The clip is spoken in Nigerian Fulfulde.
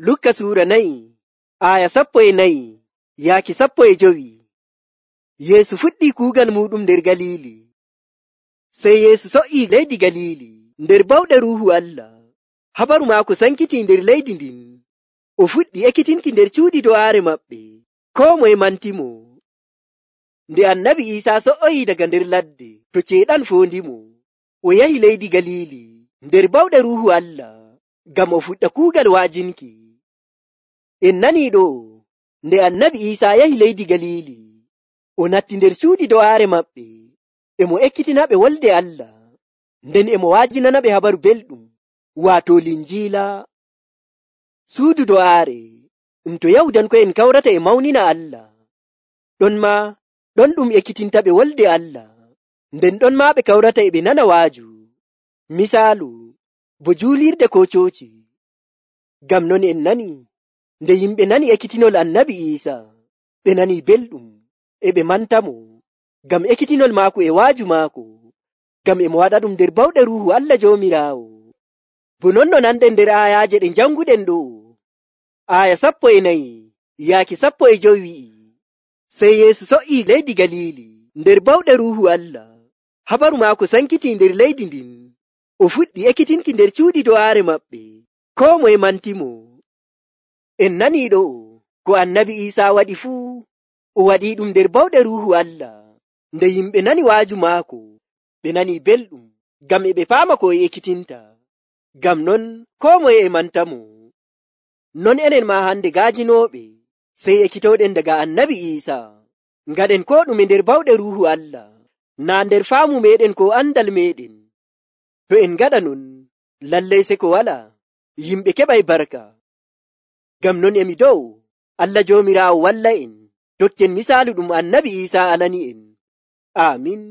Lukka suura 4 aya 14 yaaki 15. Yeesu fuɗɗii kuugal muɗum nder Galiili. Sey Yeesu so'ii leydi Galiili nder bawɗe Ruuhu Allah. Habaru maako sankitii nder leydi ndin. O fuɗɗi ekkitinki nder cuuɗi do'aare maɓɓe. Koo moye mantimo. Nde Annabi Iisaa so'oyii daga nder ladde to ceeɗan foondimo, o yahi leydi Galiili nder bawɗe Ruuhu Allah ngam o fuɗɗa kuugal wa'ajinki. En nanii ɗo'o, nde Annabi Iisaa yahi leydi Galiili, o natti nder cuuɗi do'aare maɓɓe, e mo ekkitinaɓe wolde Allah, nden e mo wa'ajinanaɓe habaru belɗum, waato Linjiila. Suudu do'aare ɗum to Yahudanko'en kawrata e mawnina Allah. Ɗon ɗum ekkitintaɓe wolde Allah, nden ɗon maa ɓe kawrata e ɓe nana waaju, misaalu bo juulirde koo cooci. Ngam non en nani, nde yimɓe nani ekkitinol Annabi Iisaa, ɓe nanii belɗum, e ɓe mantamo, ngam ekkitinol maako e waaju maako, ngam e mo waɗa ɗum nder bawɗe Ruuhu Allah Joomiraawo. Bo non no nanɗen nder aayaaje ɗe janguɗen ɗo. Aya 14 yaaki 15 wi'i, sey Yeesu so'ii leydi Galiili nder bawɗe Ruuhu Allah. Habaru maako sankitii nder leydi ndin. O fuɗɗi ekkitinki nder cuuɗi do'aare maɓɓe. Koo moye mantimo. En nanii ɗo'o ko Annabi Iisaa waɗi fuu, o waɗii ɗum nder bawɗe Ruuhu Allah. Nde yimɓe nani waaju maako, ɓe nanii belɗum, ngam e ɓe paama ko o ekkitinta. Ngam non koo moye e mantamo. Non enen maa hande gaajinooɓe, sey ekkitowɗen daga Annabi Iisaa, ngaɗen koo ɗume nder bawɗe Ruuhu Allah, naa nder faamu meeɗen ko andal meeɗen. To en ngaɗa non, lallay seko walaa, yimɓe keɓay barka. Ngam non emi dow, Allah Joomiraawo walla en, dokken misaalu ɗum Annabi Iisaa alani en. Aamin.